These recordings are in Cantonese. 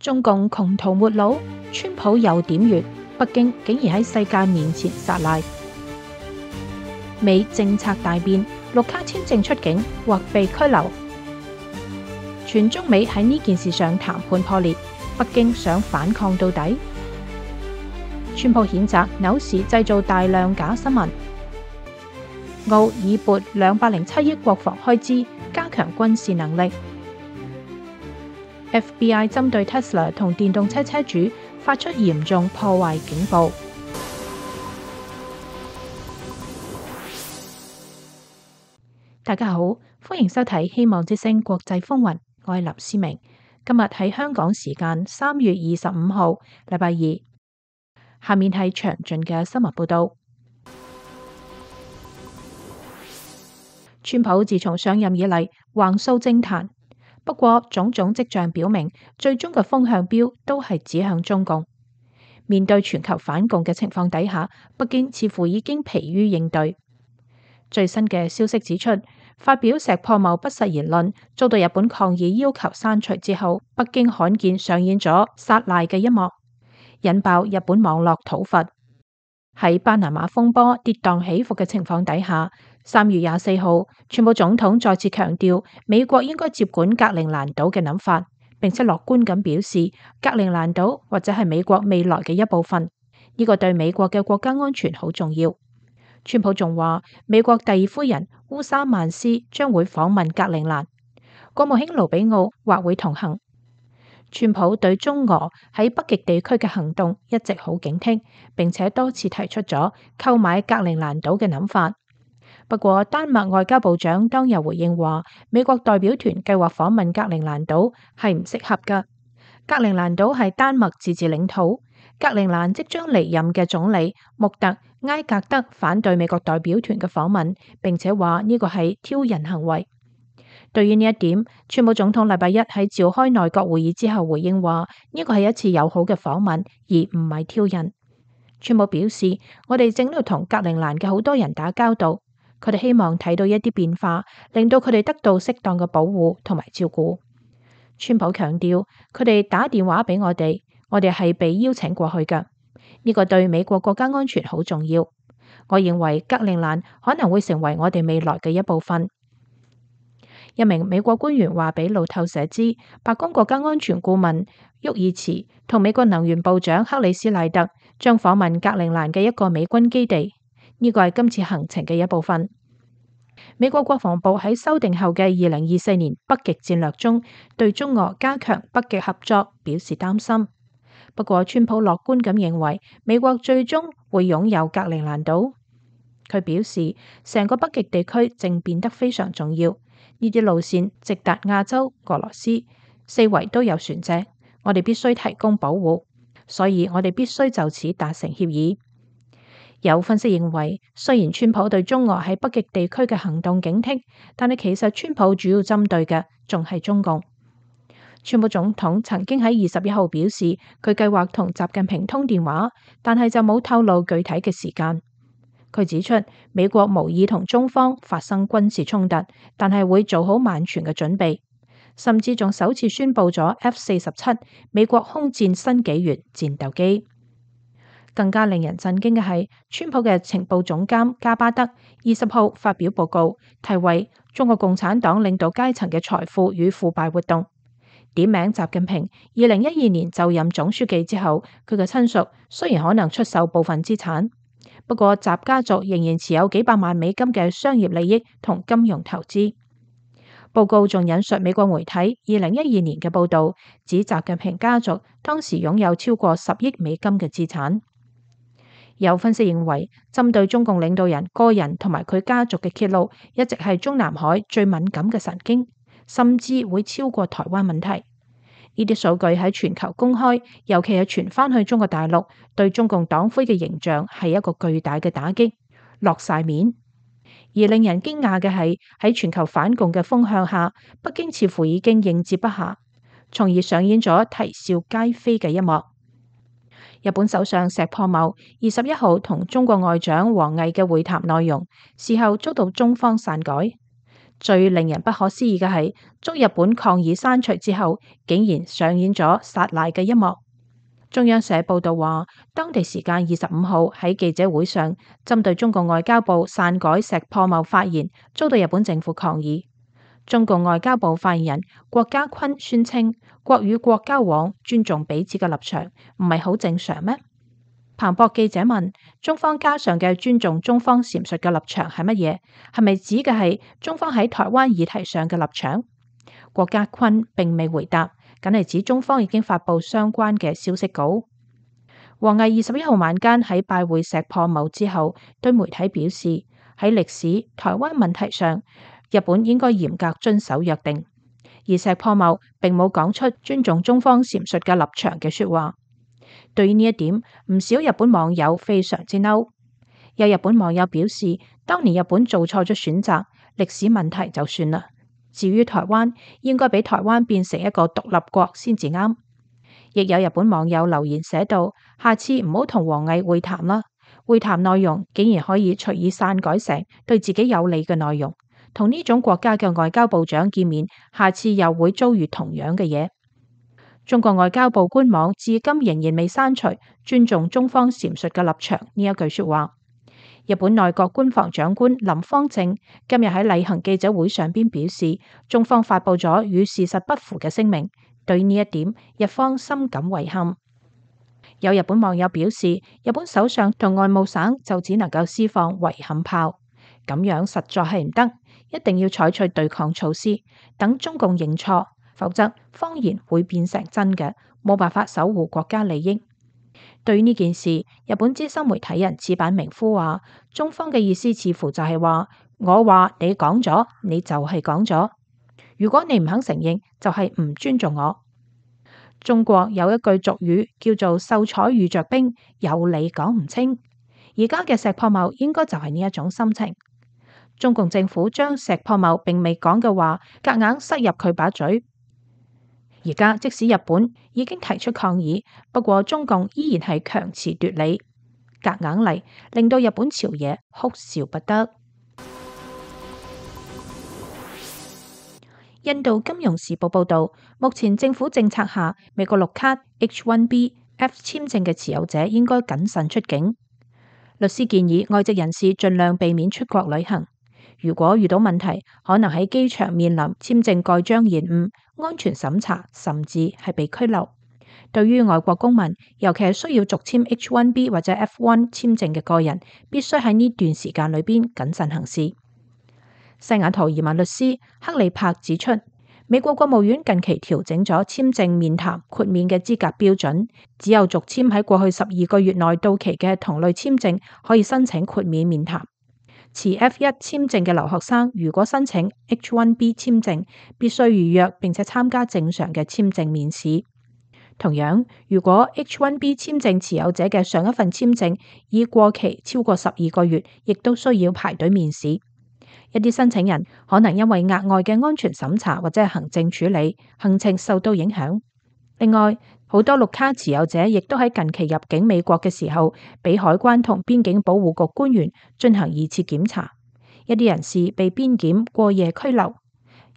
中共窮途末路，川普又點穴，北京竟然喺世界面前撒賴。美政策大變，綠卡簽證出境或被拘留。全中美喺呢件事上談判破裂，北京想反抗到底。川普譴責紐時製造大量假新聞。澳已撥207億國防開支，加強軍事能力。FBI 針對 Tesla 同電動車車主發出嚴重破壞警報。大家好，歡迎收睇希望之聲國際風雲，我係林思明。今日喺香港時間3月25號，禮拜二。下面係詳盡嘅新聞報道。川普自從上任以嚟橫掃政壇，不過種種跡象表明，最終嘅風向標都係指向中共。面對全球反共嘅情況底下，北京似乎已經疲於應對。最新嘅消息指出，發表石破茂不實言論遭到日本抗議要求刪除之後，北京罕見上演咗撒賴嘅一幕，引爆日本網絡討伐。喺巴拿馬風波跌宕起伏嘅情況底下，3月24號，川普總統再次強調美國應該接管格陵蘭島嘅諗法，並且樂觀咁表示格陵蘭島或者係美國未來嘅一部分，呢個對美國嘅國家安全好重要。川普仲話美國第二夫人烏沙曼斯將會訪問格陵蘭，國務卿盧比奧或會同行。川普對中俄喺北極地區嘅行動一直好警惕，並且多次提出咗購買格陵蘭島嘅諗法。不過丹麥外交部長當日回應話，美國代表團計劃訪問格陵蘭島係唔適合㗎。格陵蘭島係丹麥自治領土，格陵蘭即將離任嘅總理穆特埃格德反對美國代表團嘅訪問，並且話呢個係挑釁行為。對於呢一點，川普總統禮拜一喺召開內閣會議之後回應話，呢個係一次友好嘅訪問，而唔係挑釁。川普表示，我哋正喺度同格陵蘭嘅好多人打交道，佢哋希望睇到一啲變化，令到佢哋得到適當嘅保護同埋照顧。川普強調，佢哋打電話俾我哋係被邀請過去㗎，呢個對美國國家安全好重要。我認為格陵蘭可能會成為我哋未來嘅一部分。一名美國官員話俾路透社知，白宮國家安全顧問沃爾茨同美國能源部長克里斯賴特將訪問格陵蘭嘅一個美軍基地，呢個係今次行程嘅一部分。美國國防部喺修訂後嘅2024年北極戰略中，對中俄加強北極合作表示擔心。不過川普樂觀咁認為，美國最終會擁有格陵蘭島。佢表示，成個北極地區正變得非常重要。呢啲路線直達亞洲、俄羅斯，四圍都有船隻，我哋必須提供保護，所以我哋必須就此達成協議。有分析認為，雖然川普對中俄喺北極地區嘅行動警惕，但係其實川普主要針對嘅仲係中共。川普總統曾經喺21號表示，佢計劃同習近平通電話，但係就冇透露具體嘅時間。佢指出，美國無意同中方發生軍事衝突，但係會做好萬全嘅準備，甚至仲首次宣布咗 F-47 美國空戰新紀元戰鬥機。更加令人震驚嘅係，川普嘅情報總監加巴德20號發表報告，題為《中國共產黨領導階層嘅財富與腐敗活動》，點名習近平2012年就任總書記之後，佢嘅親屬雖然可能出售部分資產，不過習家族仍然持有幾百萬美金嘅商業利益同金融投資。報告仲引述美國媒體2012年嘅報導，指習近平家族當時擁有超過10億美金嘅資產。有分析認為，針對中共領導人個人同埋佢家族嘅揭露，一直係中南海最敏感嘅神經，甚至會超過台灣問題。呢啲數據喺全球公開，尤其係傳翻去中國大陸，對中共黨魁嘅形象係一個巨大嘅打擊，落晒面。而令人驚訝嘅係，喺全球反共嘅風向下，北京似乎已經應接不暇，從而上演咗啼笑皆非嘅一幕。日本首相石破茂21號同中國外長王毅嘅會談內容，事後遭到中方篡改。最令人不可思議嘅係，遭日本抗議刪除之後，竟然上演咗撒賴嘅一幕。中央社報道話，當地時間25號喺記者會上，針對中共外交部篡改石破茂發言，遭到日本政府抗議。中共外交部發言人郭家坤宣稱，國與國交往尊重彼此嘅立場，唔係好正常咩？彭博記者問，中方加上嘅尊重中方闡述嘅立場係乜嘢？係咪指嘅係中方喺台灣議題上嘅立場？郭家坤並未回答，僅係指中方已經發布相關嘅消息稿。王毅21號晚間喺拜會石破茂之後，對媒體表示，喺歷史台灣問題上，日本應該嚴格遵守約定。而石破茂並冇講出尊重中方闡述嘅立場嘅說話。對於呢一點，唔少日本網友非常之嬲。有日本網友表示，當年日本做錯咗選擇，歷史問題就算啦。至於台灣，應該俾台灣變成一個獨立國先至啱。亦有日本網友留言寫道：下次唔好同王毅會談啦，會談內容竟然可以隨意篡改成對自己有利嘅內容，同呢種國家嘅外交部長見面，下次又會遭遇同樣嘅嘢。中國外交部官網至今仍然未刪除尊重中方闡述嘅立場呢一句說話。日本內閣官房長官林芳正今日喺例行記者會上邊表示，中方發布咗與事實不符嘅聲明，對呢一點日方深感遺憾。有日本網友表示，日本首相同外務省就只能夠施放遺憾炮，咁樣實在係唔得，一定要採取對抗措施，等中共認錯，否則謊言會變成真嘅，冇辦法守護國家利益。對於呢件事，日本資深媒體人矢板明夫話，中方嘅意思似乎就係話，我話你講咗，你就係講咗，如果你唔肯承認，就係唔尊重我。中國有一句俗語叫做秀才遇着兵，有理講唔清。而家嘅石破茂應該就係呢一種心情。中共政府將石破茂並未講嘅話夾硬塞入佢把嘴。而家即使日本已經提出抗議，不過中共依然係強詞奪理，夾硬嚟，令到日本朝野哭笑不得。印度金融時報報道，目前政府政策下，美國綠卡 H-1B/F 簽證嘅持有者應該謹慎出境。律師建議外籍人士盡量避免出國旅行。如果遇到問題，可能喺機場面臨簽證蓋章延誤、安全審查，甚至係被拘留。對於外國公民，尤其係需要續簽 H-1B 或者 F-1 簽證嘅個人，必須喺呢段時間裏邊謹慎行事。西雅圖移民律師克里柏指出，美國國務院近期調整咗簽證面談豁免嘅資格標準，只有續簽喺過去12個月內到期嘅同類簽證可以申請豁免面談。持 F1 簽證嘅留學生如果申請 H-1B 簽證，必須預約並且參加正常嘅簽證面試。同樣，如果 H-1B 簽證持有者嘅上一份簽證已過期超過12個月，亦都需要排隊面試。一啲申請人可能因為額外嘅安全審查或者係行政處理，行程受到影響。另外，好多綠卡持有者亦都喺近期入境美國嘅時候，俾海關同邊境保護局官員進行2次檢查。一啲人士被邊檢過夜拘留，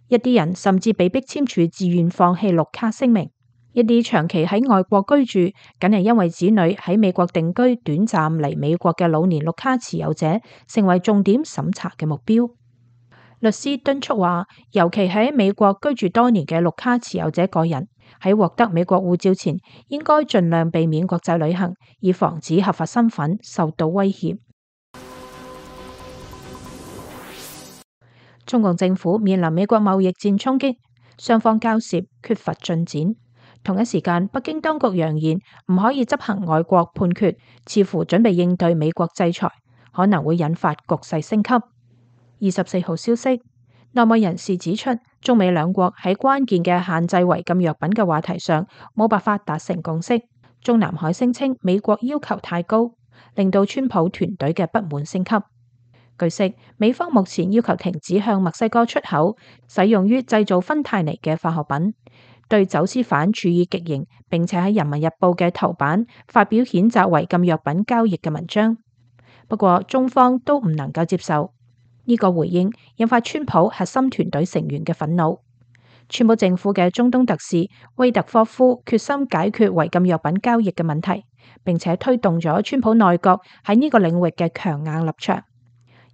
一啲人甚至被迫簽署自願放棄綠卡聲明。一啲長期喺外國居住，僅係因為子女喺美國定居短暫嚟美國嘅老年綠卡持有者，成為重點審查嘅目標。律師敦促話，尤其喺美國居住多年嘅綠卡持有者個人，喺獲得美國護照前，應該盡量避免國際旅行，以防止合法身份受到威脅。中共政府面臨美國貿易戰衝擊，雙方交涉缺乏進展。同一時間，北京當局揚言唔可以執行外國判決，似乎準備應對美國制裁，可能會引發局勢升級。24號消息，內幕人士指出，中美兩國喺關鍵嘅限制違禁藥品嘅話題上冇辦法達成共識。中南海聲稱美國要求太高，令到川普團隊嘅不滿升級。據悉，美方目前要求停止向墨西哥出口使用於製造芬太尼嘅化學品，對走私犯處以極刑，並且喺《人民日報》嘅頭版發表譴責違禁藥品交易嘅文章。不過，中方都唔能夠接受。呢個回應引發川普核心團隊成員嘅憤怒。川普政府嘅中東特使威特科夫決心解決違禁藥品交易嘅問題，並且推動咗川普內閣喺呢個領域嘅強硬立場。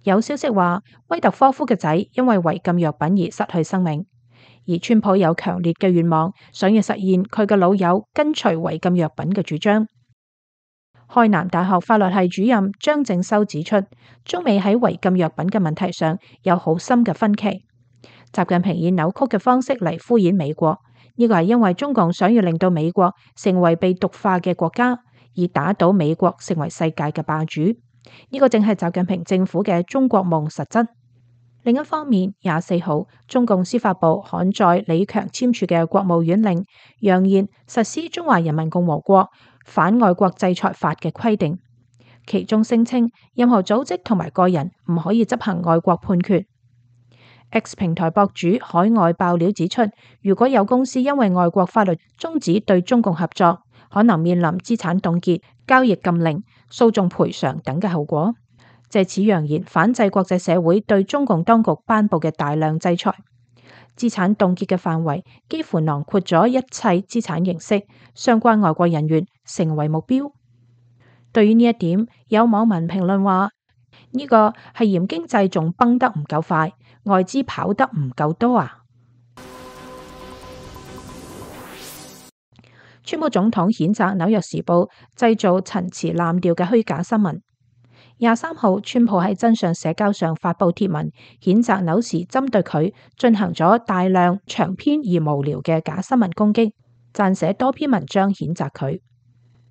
有消息話，威特科夫嘅仔因為違禁藥品而失去生命，而川普有強烈嘅願望，想要實現佢嘅老友跟隨違禁藥品嘅主張。開南大學法律系主任張正修指出，中美喺違禁藥品嘅問題上有好深嘅分歧。習近平以扭曲嘅方式嚟敷衍美國，呢個係因為中共想要令到美國成為被毒化嘅國家，而打倒美國成為世界嘅霸主。呢個正係習近平政府嘅中國夢實質。另一方面，24號中共司法部刊載李強簽署嘅國務院令，揚言實施《中華人民共和國反外國制裁法》嘅規定，其中聲稱任何組織同埋個人唔可以執行外國判決。X 平台博主海外爆料指出，如果有公司因為外國法律終止對中共合作，可能面臨資產凍結、交易禁令、訴訟賠償等嘅後果。借此揚言反制國際社會對中共當局頒布嘅大量制裁。資產凍結嘅範圍幾乎囊括咗一切資產形式，相關外國人員成為目標。對於呢一點，有網民評論話：呢個係嫌經濟仲崩得唔夠快，外資跑得唔夠多啊！川普總統譴責《紐約時報》製造陳詞濫調嘅虛假新聞。23號，川普喺真相社交上發布貼文，譴責紐時針對佢進行咗大量長篇而無聊嘅假新聞攻擊，撰寫多篇文章譴責佢。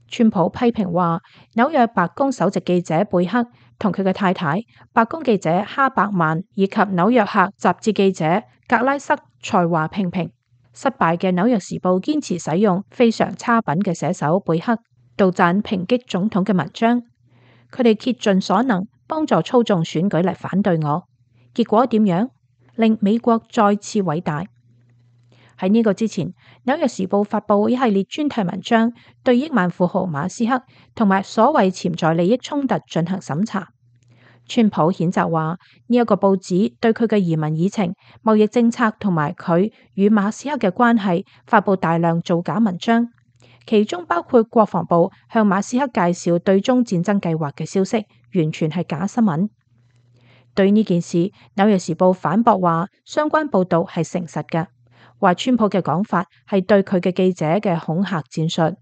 川普批評話，紐約白宮首席記者貝克同佢嘅太太、白宮記者哈伯曼以及紐約客雜誌記者格拉塞才華平平。失敗嘅紐約時報堅持使用非常差品嘅寫手貝克杜撰抨擊總統嘅文章，佢哋竭盡所能幫助操縱選舉嚟反對我，結果點樣？令美國再次偉大。喺呢個之前，紐約時報發佈一系列專題文章，對億萬富豪馬斯克同埋所謂潛在利益衝突進行審查。川普譴責話，呢一個報紙對佢嘅移民議程、貿易政策同埋佢與馬斯克嘅關係發佈大量造假文章，其中包括國防部向馬斯克介紹對中戰爭計劃嘅消息，完全係假新聞。對呢件事，紐約時報反駁話，相關報道係誠實嘅，話川普嘅講法係對佢嘅記者嘅恐嚇戰術。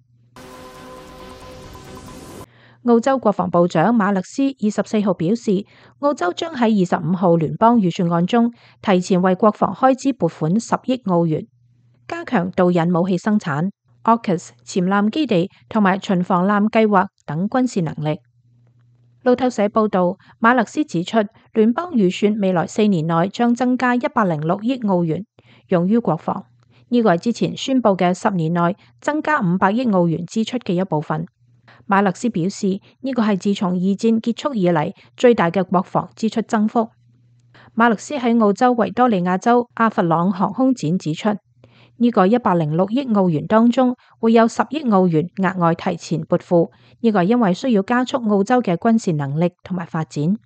澳洲國防部長馬勒斯24號表示，澳洲將喺25號聯邦預算案中提前為國防開支撥款10億澳元，加強導引武器生產、AUKUS 潛艦基地同埋巡防艦計劃等軍事能力。路透社報道，馬勒斯指出，聯邦預算未來4年內將增加106億澳元，用於國防。呢個係之前宣布嘅10年內增加500億澳元支出嘅一部分。馬勒斯表示，呢個係自從二戰結束以嚟最大嘅國防支出增幅。馬勒斯喺澳洲維多利亞州阿弗朗航空展指出，呢個106億澳元當中會有10億澳元額外提前撥付，呢個係因為需要加速澳洲嘅軍事能力同埋發展。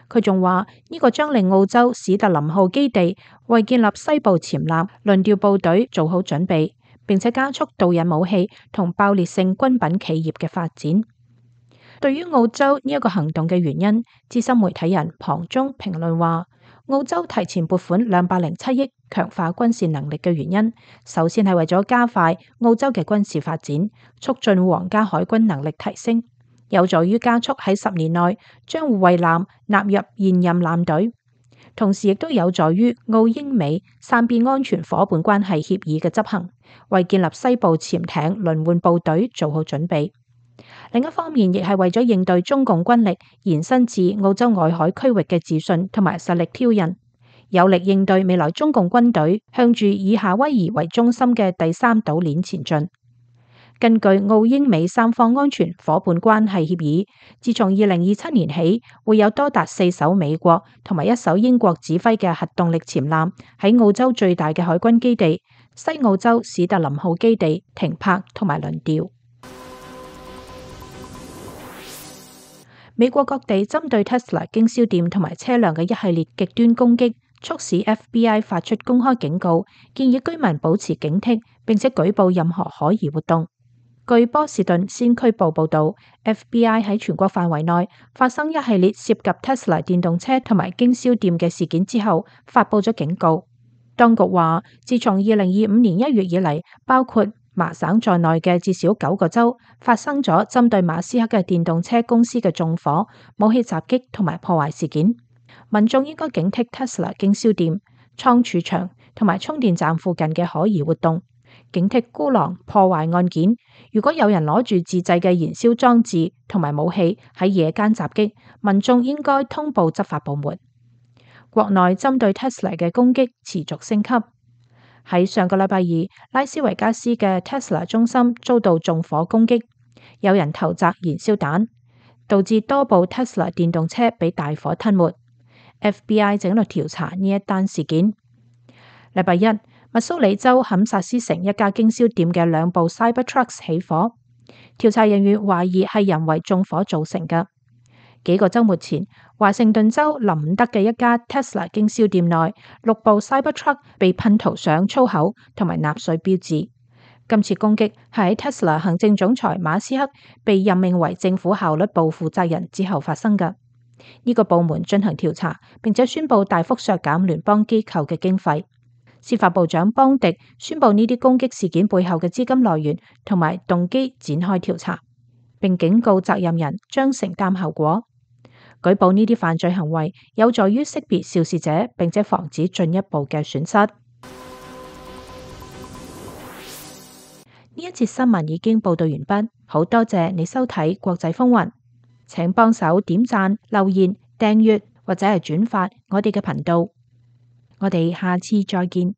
佢仲話，呢個將令澳洲史特林號基地為建立西部潛艦輪調部隊做好準備，並且加速導引武器同爆裂性軍品企業嘅發展。對於澳洲呢一個行動嘅原因，資深媒體人龐中評論話，澳洲提前撥款207億強化軍事能力嘅原因，首先係為咗加快澳洲嘅軍事發展，促進皇家海軍能力提升，有助於加速喺10年內將護衛艦納入現任艦隊。同時亦都有助於澳英美三邊安全夥伴關係協議嘅執行，為建立西部潛艇輪換部隊做好準備。另一方面，亦係為咗應對中共軍力延伸至澳洲外海區域嘅自信同埋實力挑釁，有力應對未來中共軍隊向住以夏威夷為中心嘅第三島鏈前進。根據澳英美三方安全夥伴關係協議，自從2027年起，會有多達4艘美國同埋1艘英國指揮嘅核動力潛艦喺澳洲最大嘅海軍基地西澳洲史特林號基地停泊同埋輪調。美國各地針對 Tesla 經銷店同埋車輛嘅一系列極端攻擊，促使 FBI 發出公開警告，建議居民保持警惕，並且舉報任何可疑活動。據波士頓先驅報報導，FBI 喺全國範圍內發生一系列涉及 Tesla 電動車同埋經銷店嘅事件之後，發佈咗警告。當局話，自從2025年1月以嚟，包括麻省在內嘅至少9個州發生咗針對馬斯克嘅電動車公司嘅縱火、武器襲擊同埋破壞事件。民眾應該警惕 Tesla 經銷店、倉儲場同埋充電站附近嘅可疑活動，警惕孤狼破壞案件。如果有人攞住自製嘅燃燒裝置同埋武器喺夜間襲擊，民眾應該通報執法部門。國內針對 Tesla 嘅攻擊持續升級。喺上個禮拜二，拉斯維加斯嘅 Tesla 中心遭到縱火攻擊，有人投擲燃燒彈，導致多部 Tesla 電動車被大火吞沒。FBI 正喺度調查呢一單事件。禮拜一，密蘇里州堪薩斯城一家經銷店嘅2部 Cybertrucks 起火，調查人員懷疑係人為縱火造成嘅。幾個週末前，華盛頓州林伍德嘅一家 Tesla 經銷店內6部 Cybertruck 被噴塗上粗口同埋納粹標誌。今次攻擊係喺 Tesla 行政總裁馬斯克被任命為政府效率部負責人之後發生嘅。呢個部門進行調查，並且宣布大幅削減聯邦機構嘅經費。司法部長邦迪宣布呢啲攻擊事件背後嘅資金來源同埋動機展開調查，並警告責任人將承擔後果。舉報呢啲犯罪行為有助於識別肇事者，並且防止進一步嘅損失。呢一節新聞已經報道完畢，好多謝你收睇國際風雲，請幫手點讚、留言、訂閱或者係轉發我哋嘅頻道。我哋下次再見。